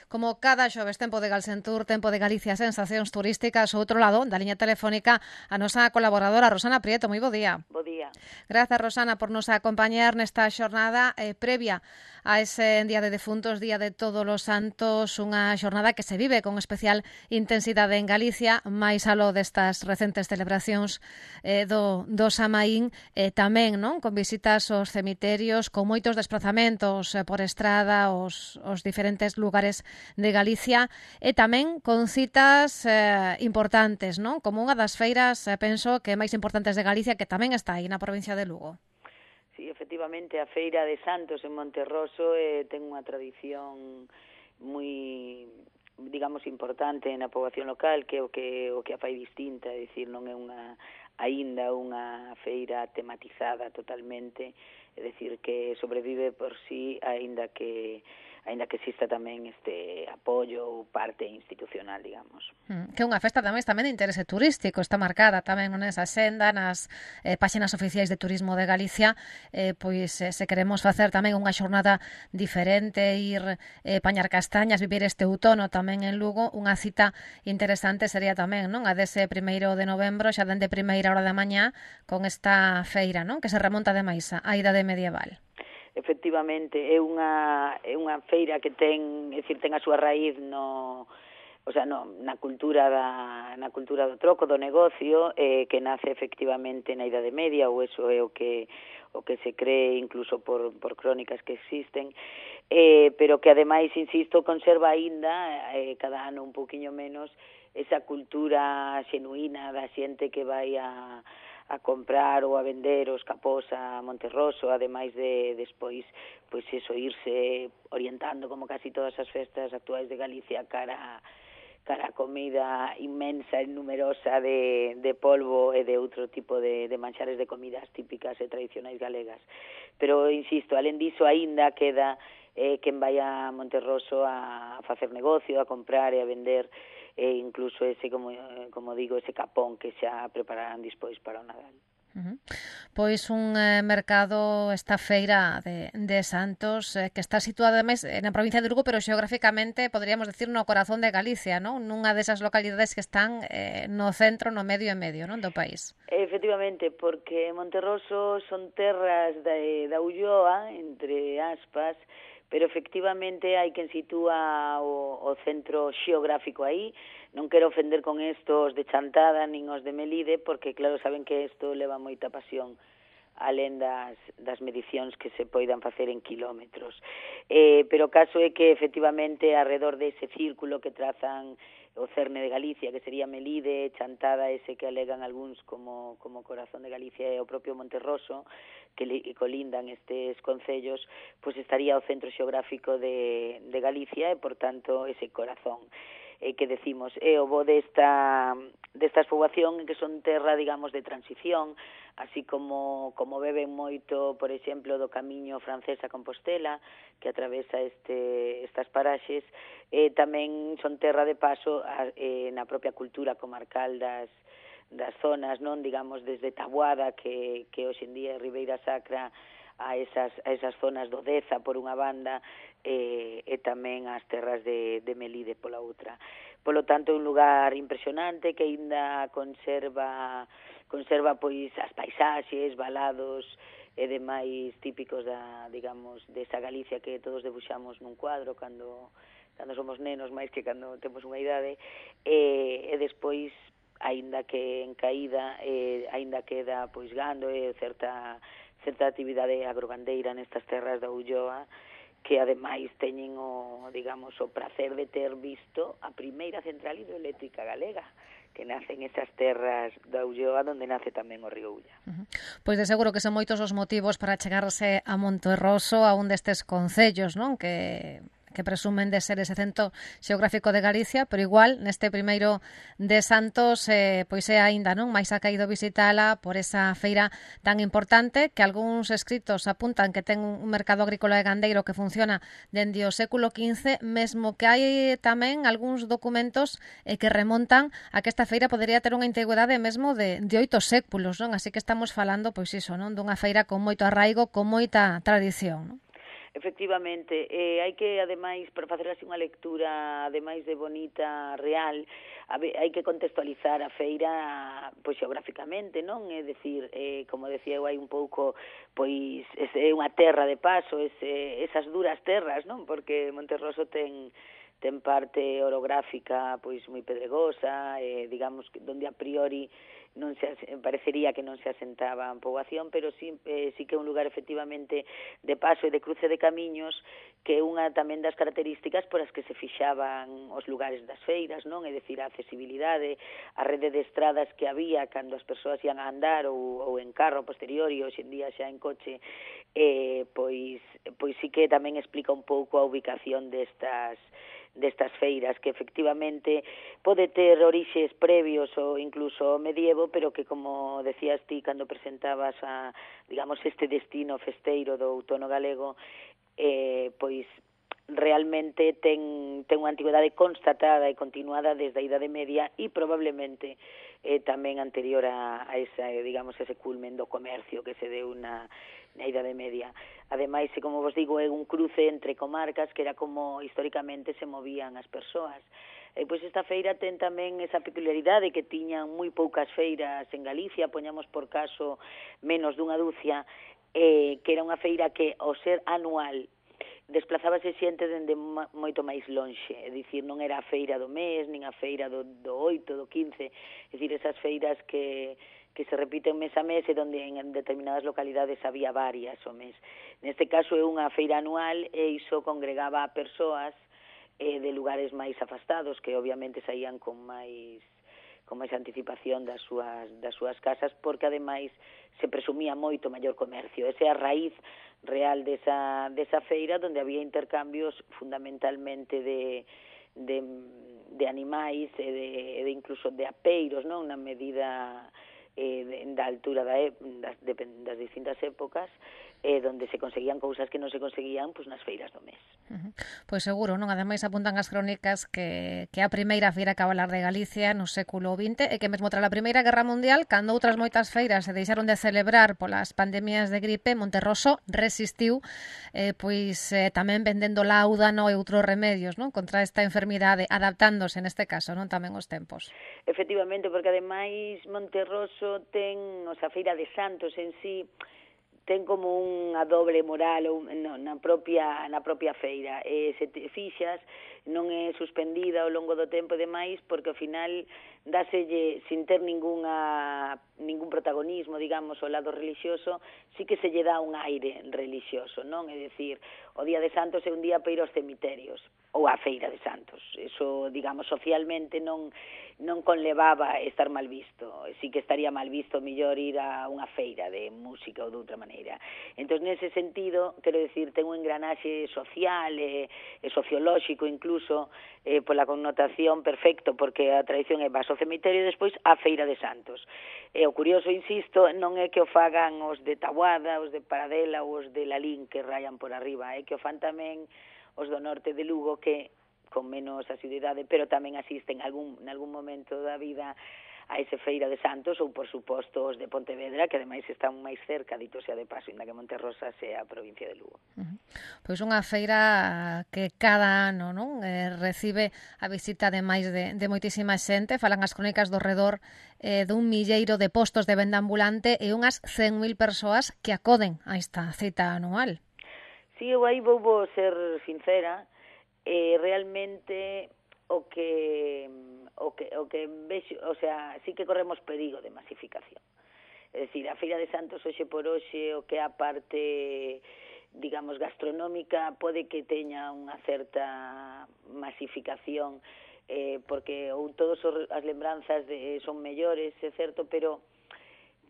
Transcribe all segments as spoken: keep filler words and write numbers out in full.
Como cada xoves, tempo de Galsentur, tempo de Galicia, sensacións turísticas. O outro lado, da liña telefónica, a nosa colaboradora Rosana Prieto. Moi bo día. Bo día. Grazas, Rosana, por nos acompañar nesta xornada eh, previa a ese Día de Defuntos, Día de Todos os Santos, unha xornada que se vive con especial intensidade en Galicia, máis aló destas recentes celebracións eh, do, do Samaín, eh, tamén non con visitas aos cemiterios, con moitos desplazamentos eh, por estrada aos, aos diferentes lugares de Galicia, e tamén con citas eh, importantes, non? Como unha das feiras, eh, penso que máis importantes de Galicia, que tamén está aí na provincia de Lugo. Sí, efectivamente, a Feira de Santos en Monterroso eh, ten unha tradición moi, digamos, importante na poboación local, que é o que o que a fai distinta, é dicir, non é unha aínda unha feira tematizada totalmente, é dicir, que sobrevive por sí, aínda que aínda que exista tamén este apoio ou parte institucional, digamos. Mm, que unha festa tamén tamén de interese turístico, está marcada tamén nesa senda, nas eh, páxinas oficiais de Turismo de Galicia, eh, pois eh, se queremos facer tamén unha xornada diferente, ir eh, pañar castañas, vivir este outono tamén en Lugo, unha cita interesante sería tamén, non? A dese primeiro de novembro, xa dende primeira hora da mañá, con esta feira, non? Que se remonta ademais á idade medieval. Efectivamente, é unha é unha feira que ten, é dicir, ten a súa raíz no, o sea, no, na cultura da na cultura do troco, do negocio, eh, que nace efectivamente na Idade Media, ou eso é o que o que se cree incluso por por crónicas que existen, eh, pero que ademais, insisto, conserva aínda eh, cada ano un poquinho menos esa cultura xenuína da xente que vai a a comprar ou a vender os capós a Monterroso, ademais de despois, pois eso, irse orientando como casi todas as festas actuais de Galicia cara cara a comida inmensa e numerosa de, de polvo e de outro tipo de, de manxares de comidas típicas e tradicionais galegas. Pero, insisto, alén diso, aínda queda eh, quen vai a Monterroso a facer negocio, a comprar e a vender, e incluso ese, como, como digo, ese capón que xa prepararán despois para o Nadal. Uh-huh. Pois un eh, mercado, esta feira de, de Santos, eh, que está situada ademais na provincia de Lugo, pero xeográficamente poderíamos decir no corazón de Galicia, non? Nunha desas localidades que están eh, no centro, no medio e medio, non, do país. Efectivamente, porque Monterroso son terras da, da Ulloa, entre aspas, pero efectivamente hai quen sitúa o, o centro xeográfico aí. Non quero ofender con estos de Chantada nin os de Melide, porque claro, saben que isto leva moita pasión alén das, das medicións que se poidan facer en kilómetros. Eh, pero o caso é que efectivamente alrededor dese círculo que trazan o cerne de Galicia, que sería Melide, Chantada, ese que alegan algúns como, como corazón de Galicia, e o propio Monterroso, que li, colindan estes concellos, pois estaría o centro xeográfico de, de Galicia e, por tanto, ese corazón. Eh, que decimos, é o bo desta, desta poboación que son terra, digamos, de transición, así como como beben moito, por exemplo, do camiño francés a Compostela, que atravesa este, estas paraxes, eh, tamén son terra de paso a, eh, na propia cultura comarcal das, das zonas, non, digamos, desde Taboada, que, que hoxe en día é Ribeira Sacra, a esas, a esas zonas do Deza por unha banda, e, e tamén as terras de, de Melide pola outra. Polo tanto, é un lugar impresionante que aínda conserva conserva pois as paisaxes, valados e demais típicos da, digamos, desa Galicia que todos debuxamos nun cuadro cando cando somos nenos, máis que cando temos unha idade, e, e despois, aínda que en caída, e, aínda queda pois gando e certa certa actividade agrogandeira nestas terras da Ulloa, que ademais teñen o, digamos, o prazer de ter visto a primeira central hidroeléctrica galega, que nace en esas terras da Ulloa, onde nace tamén o río Ulla. Uh-huh. Pois de seguro que son moitos os motivos para chegarse a Monterroso, a un destes concellos, non? Que que presumen de ser ese centro xeográfico de Galicia, pero igual neste primeiro de Santos eh, pois é aínda non máis acaído visitala por esa feira tan importante, que algúns escritos apuntan que ten un mercado agrícola e gandeiro que funciona dende o século quince, mesmo que hai tamén algúns documentos eh, que remontan a que esta feira podería ter unha antigüedade mesmo de, de oito séculos, non? Así que estamos falando, pois iso, non? Dunha feira con moito arraigo, con moita tradición, non? Efectivamente, eh, hai que, ademais, para facer así unha lectura, ademais de bonita, real, hai que contextualizar a feira, pois, xeográficamente, non? É dicir, eh, como decía eu hai un pouco, pois, é unha terra de paso, ese, esas duras terras, non? Porque Monterroso ten ten parte orográfica, pois, moi pedregosa, eh, digamos, donde a priori non se parecería que non se asentaba a poboación, pero sí, eh, sí que é un lugar efectivamente de paso e de cruce de camiños, que é unha tamén das características por as que se fixaban os lugares das feiras, non? É dicir, a accesibilidade, a rede de estradas que había cando as persoas ian a andar ou, ou en carro posterior e hoxe en día xa en coche, eh, pois, pois sí que tamén explica un pouco a ubicación destas destas feiras, que efectivamente pode ter orixes previos ou incluso medievo, pero que, como decías ti cando presentabas a, digamos, este destino festeiro do outono galego, eh, pois realmente ten, ten unha antigüedade constatada e continuada desde a Idade Media e probablemente eh, tamén anterior a, a esa, digamos, ese culmen do comercio que se deu na, na Idade Media. Ademais, como vos digo, é un cruce entre comarcas que era como históricamente se movían as persoas. E pois esta feira ten tamén esa peculiaridade que tiñan moi poucas feiras en Galicia, poñamos por caso menos dunha dúcia, eh, que era unha feira que, ao ser anual, desplazábase xente dende moito máis lonxe, é dicir, non era a feira do mes, nin a feira do, do oito, do quince, é dicir, esas feiras que, que se repiten mes a mes e onde en determinadas localidades había varias o mes. Neste caso é unha feira anual e iso congregaba a persoas eh, de lugares máis afastados, que obviamente saían con máis con máis anticipación das súas, das súas casas, porque ademais se presumía moito maior comercio. Esa é a raíz real desa, desa feira, onde había intercambios fundamentalmente de, de, de animais e de, de incluso de apeiros, non? Na medida eh, de, da altura da, das, de, das distintas épocas, eh, donde se conseguían cousas que non se conseguían pois, nas feiras do mes. Uh-huh. Pois seguro, non? Ademais apuntan as crónicas que, que a primeira feira cabalar de Galicia no século vinte e que mesmo tras a Primeira Guerra Mundial, cando outras moitas feiras se deixaron de celebrar polas pandemias de gripe, Monterroso resistiu eh, pois eh, tamén vendendo láudano e outros remedios, non? Contra esta enfermidade, adaptándose neste caso, non? Tamén os tempos. Efectivamente, porque ademais Monterroso ten, o sea, a Feira de Santos en sí ten como unha doble moral ou, no, na propia na propia feira. E se te fixas, non é suspendida ao longo do tempo e demais, porque ao final dáselle, sin ter ninguna, ningún protagonismo, digamos, ao lado religioso, sí que se lle dá un aire religioso, non? É dicir, o Día de Santos é un día para ir aos cemiterios, ou a Feira de Santos. Eso, digamos, socialmente non non conlevaba estar mal visto. Sí que estaría mal visto mellor ir a unha feira de música ou de outra maneira. Entón, nese sentido, quero dicir, ten un engranaxe social e, e sociolóxico incluso eh, pola connotación perfecto, porque a tradición é vas ao cemiterio e despois a Feira de Santos. E o curioso, insisto, non é que o fagan os de Taboada, os de Paradela ou os de Lalín que rayan por arriba, é que o fan tamén os do norte de Lugo que con menos asiduidade, pero tamén asisten algún, en algún momento da vida a ese Feira de Santos ou, por suposto, os de Pontevedra, que ademais están máis cerca, dito sea de paso, inda que Monterrosa sea a provincia de Lugo. Uh-huh. Pois unha feira que cada ano, non, eh, recibe a visita de máis de, de moitísima xente, falan as crónicas do redor eh, dun milleiro de postos de venda ambulante e unhas cen mil persoas que acoden a esta cita anual. Si, eu aí vou ser sincera, eh, realmente o que o que o que vexo, o sea, sí que corremos perigo de masificación. É dicir, a Feira de Santos hoxe por hoxe, o que a parte, digamos, gastronómica, pode que teña unha certa masificación, eh, porque ou todos os, as lembranzas de, son mellores, é certo, pero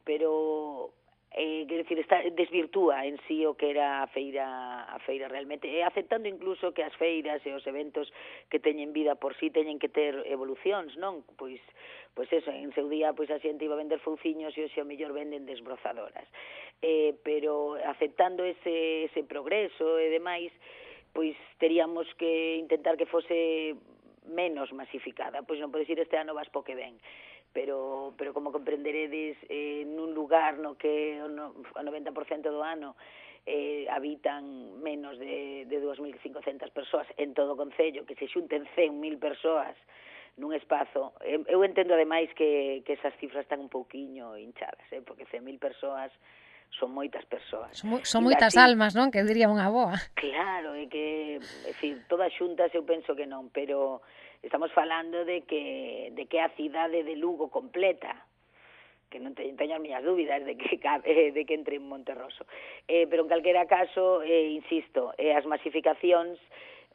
pero eh, quer decir, está, desvirtúa en sí o que era a feira, a feira realmente, e aceptando incluso que as feiras e os eventos que teñen vida por sí teñen que ter evolucións, non? Pois, pois eso, en seu día pois a xente iba a vender fouciños e hoxe ao mellor venden desbrozadoras. Eh, pero aceptando ese, ese progreso e demais, pois teríamos que intentar que fose menos masificada, pois non podes ir este ano vas po que ven. Pero, pero como comprenderedes, eh, nun lugar no que o noventa por cento do ano eh, habitan menos de, de dúas mil cincocentas persoas en todo o concello, que se xunten cen mil persoas nun espazo. Eu entendo ademais que, que esas cifras están un pouquiño hinchadas, eh, porque cen mil persoas son moitas persoas. Son, son moitas ti... almas, non? Que diría unha boa. Claro, é que, é dicir, todas xuntas eu penso que non, pero estamos falando de que de que a cidade de Lugo completa, que non teño, teño as miñas dúbidas de que cabe, de que entre en Monterroso. Eh, pero en calquera caso, eh, insisto, eh, as masificacións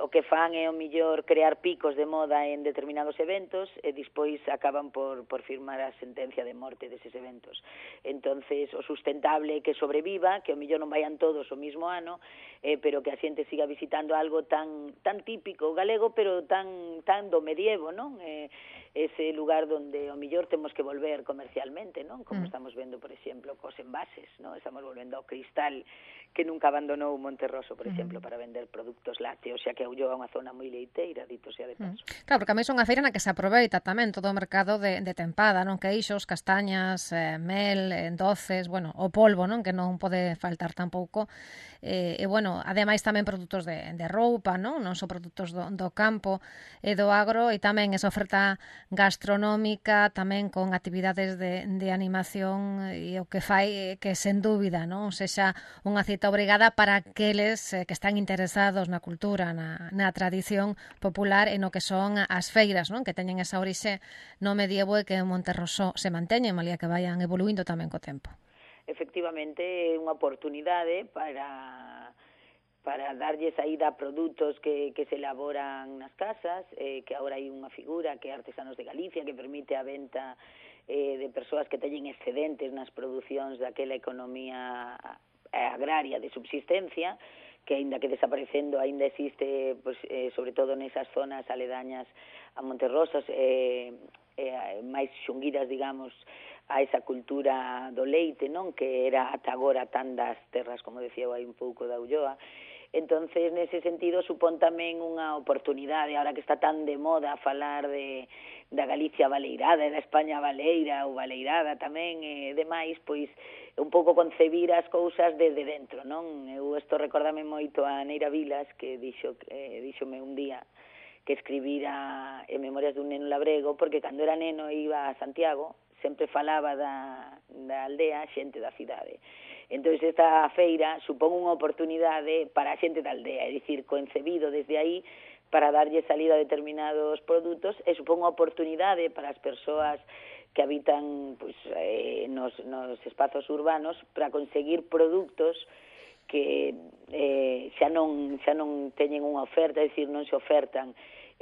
o que fan é o millor crear picos de moda en determinados eventos e despois acaban por, por firmar a sentencia de morte deses eventos. Entonces, o sustentable é que sobreviva, que o millor non vayan todos o mismo ano, eh, pero que a xente siga visitando algo tan tan típico galego, pero tan tan do medievo, non? Eh, ese lugar donde o millor temos que volver comercialmente, non? Como mm. estamos vendo, por exemplo, cos envases, non? Estamos volvendo ao cristal que nunca abandonou Monterroso, por exemplo, mm. para vender produtos lácteos, xa que Ulloa é unha zona moi leiteira, dito sea de paso. Mm. Claro, porque a mí é unha feira na que se aproveita tamén todo o mercado de, de tempada, non? Queixos, castañas, eh, mel, eh, doces, bueno, o polvo, non? Que non pode faltar tampouco. Eh, e, bueno, ademais tamén produtos de, de roupa, non? Non son produtos do, do campo e do agro, e tamén esa oferta gastronómica, tamén con actividades de, de animación, e o que fai que, sen dúbida, non? Sexa unha cita obrigada para aqueles eh, que están interesados na cultura, na, na tradición popular e no que son as feiras, non? Que teñen esa orixe no medievo e que en Monterroso se manteñen, malía que vayan evoluindo tamén co tempo. Efectivamente, é unha oportunidade para para darlle saída a produtos que, que se elaboran nas casas, eh, que agora hai unha figura que é Artesanos de Galicia, que permite a venta eh, de persoas que teñen excedentes nas producións daquela economía agraria de subsistencia, que aínda que desaparecendo aínda existe, pues, eh, sobre todo nesas zonas aledañas a Monterroso, eh, eh, máis xunguidas, digamos, a esa cultura do leite, non? Que era ata agora tan das terras, como decía hai un pouco da Ulloa. Entonces, nese sentido, supón tamén unha oportunidade, ahora que está tan de moda falar de da Galicia baleirada e da España baleira ou baleirada tamén e demais, pois un pouco concebir as cousas desde dentro, non? Eu isto recórdame moito a Neira Vilas, que dixo, eh, díxome un día que escribira en Memorias dun neno labrego, porque cando era neno iba a Santiago, sempre falaba da, da aldea xente da cidade. Entón, esta feira supón unha oportunidade para a xente da aldea, é dicir, concebido desde aí para darlle salida a determinados produtos, e supón unha oportunidade para as persoas que habitan pues, eh, nos, nos espazos urbanos para conseguir produtos que eh, xa non xa non teñen unha oferta, é dicir, non se ofertan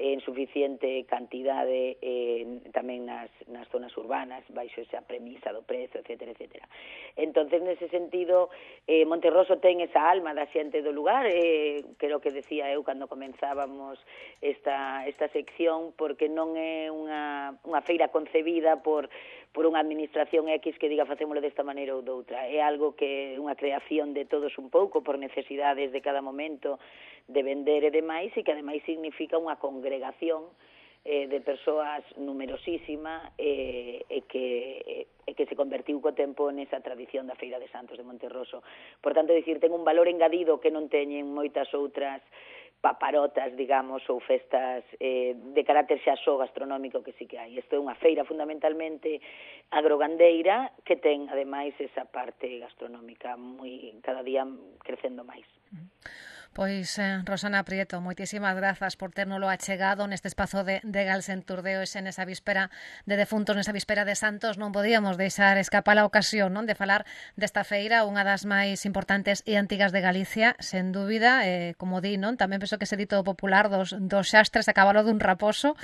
en suficiente cantidade eh, tamén nas, nas zonas urbanas, baixo esa premisa do prezo, etcétera, etcétera. Entonces, nese sentido, eh, Monterroso ten esa alma da xente do lugar, eh, creo que decía eu cando comenzábamos esta, esta sección, porque non é unha, unha feira concebida por por unha administración X que diga facémolo desta maneira ou doutra. É algo que é unha creación de todos un pouco por necesidades de cada momento de vender e demais, e que ademais significa unha congregación eh, de persoas numerosísima eh, e, que, e que se convertiu co tempo nesa tradición da Feira de Santos de Monterroso. Por tanto, dicir, ten un valor engadido que non teñen moitas outras paparotas, digamos, ou festas eh, de carácter xa só gastronómico que sí que hai. Isto é unha feira fundamentalmente agrogandeira que ten, ademais, esa parte gastronómica moi cada día crecendo máis. Pois, eh, Rosana Prieto, moitísimas grazas por térnolo achegado neste espazo de, de Galsen Turdeo, ese nesa víspera de defuntos, nesa víspera de santos. Non podíamos deixar escapar a ocasión, non, de falar desta feira, unha das máis importantes e antigas de Galicia, sen dúbida, eh, como di, non? Tamén penso que ese dito popular dos, dos xastres a cabalo dun raposo,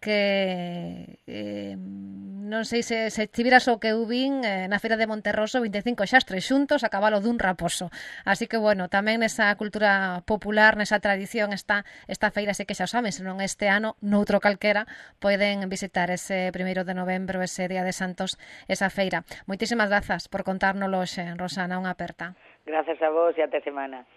que eh, non sei se, se tiveras o que eu vin eh, na feira de Monterroso, vinte e cinco xastres xuntos a cabalo dun raposo. Así que, bueno, tamén nesa cultura popular, nesa tradición está esta feira, sei que xa saben, senón este ano, noutro calquera, poden visitar ese primeiro de novembro, ese Día de Santos, esa feira. Moitísimas grazas por contárnoslo hoxe, Rosana, unha aperta. Grazas a vos e até semana.